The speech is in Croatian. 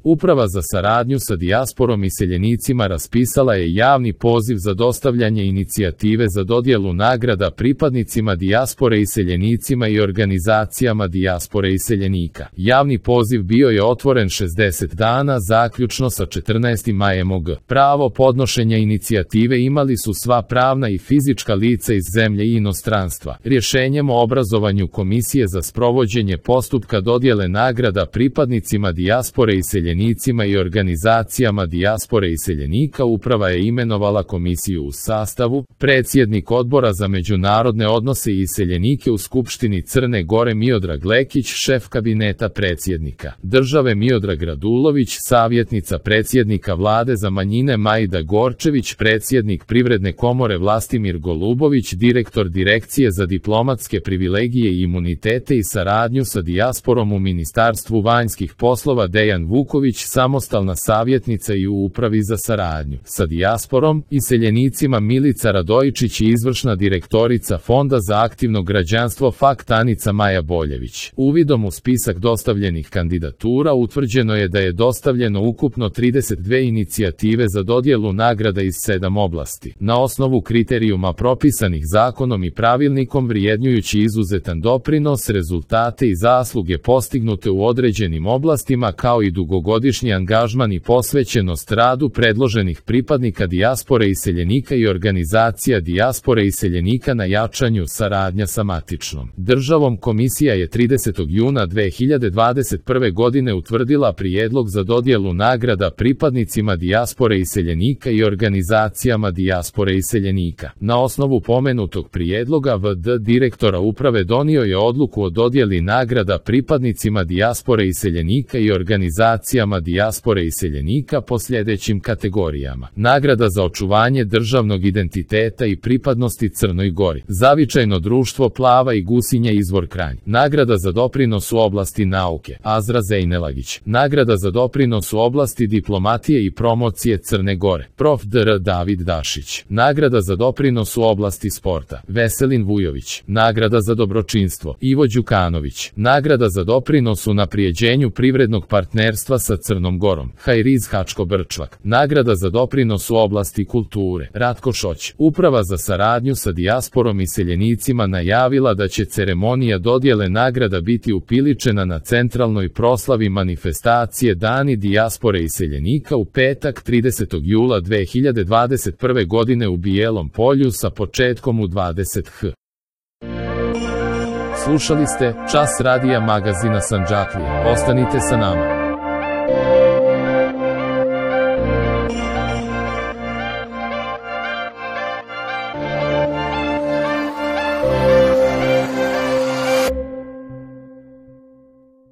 Uprava za saradnju sa dijasporom i iseljenicima raspisala je javni poziv za dostavljanje inicijative za dodjelu nagrada pripadnicima dijaspore i iseljenicima i organizacijama dijaspore i iseljenika. Javni poziv bio je otvoren 60 dana zaključno sa 14. majem OG. Pravo podnošenja inicijative imali su sva pravna i fizička lica iz zemlje i inostranstva. Rješenjem o obrazovanju Komisije za sprovođenje postupka dodjele nagrada pripadnicima dijaspore i iseljenicima i organizacijama dijaspore i iseljenika uprava je imenovala komisiju u sastavu: predsjednik Odbora za međunarodne odnose i iseljenike u Skupštini Crne Gore Miodrag Lekić, šef kabineta predsjednika države Miodrag Radulović, savjetnica predsjednika Vlade za manjine Majda Gorčević, predsjednik Privredne komore Vlastimir Golubović, direktor Direkcije za diplomatske privilegije i imunitete i saradnju sa dijasporom u Ministarstvu vanjskih poslova Dejan Vuković, samostalna savjetnica i u Upravi za saradnju sa dijasporom i iseljenicima Milica Radojičić i izvršna direktorica Fonda za aktivno građanstvo FAKT Anica Maja Boljević. Uvidom u spisak dostavljenih kandidatura utvrđeno je da je dostavljeno ukupno 32 inicijative za dodjelu nagrada iz 7 oblasti, na osnovu kriterijuma propisanih zakonom i pravilnikom vrijednjujući izuzetan doprinos, rezultate i zasluge postignute u određenim oblastima kao i dugogodišnji angažman i posvećenost radu predloženih pripadnika dijaspore i iseljenika i organizacija dijaspore i iseljenika na jačanju saradnja sa matičnom državom. Komisija je 30. juna 2021. godine utvrdila prijedlog za dodjelu nagrada pripadnicima dijaspore i iseljenika i organizacijama dijaspore i iseljenika. Na osnovu pomenutog prijedloga VD direktora uprave donio je odluku o dodjeli nagrada pripadnicima dijaspore i iseljenika i organizacijama dijaspore i iseljenika po sljedećim kategorijama: nagrada za očuvanje državnog identiteta i pripadnosti Crnoj Gori, Zavičajno društvo Plava i Gusinja izvor Kranj, nagrada za doprinos u oblasti nauke Azra Zejnelagić, nagrada za doprinos u oblasti diplomatije i promocije Crne Gore Prof. dr. David Dašić, nagrada za doprinos u oblasti sporta Veselin Vujović, nagrada za dobročinstvo Ivo Đukanović, nagrada za doprinos u unaprijeđenju privrednog partnerstva sa Crnom Gorom Hajriz Hačko Brčvak, nagrada za doprinos u oblasti kulture Ratko Šoć. Uprava za saradnju sa dijasporom i iseljenicima najavila da će ceremonija dodjele nagrada biti upiličena na centralnoj proslavi manifestacije Dani dijaspore i iseljenika u petak 30. jula 2021. godine u Bijelom Polju sa početkom u 20h. Slušali ste Čas radija magazina Sandžaklija. Ostanite sa nama.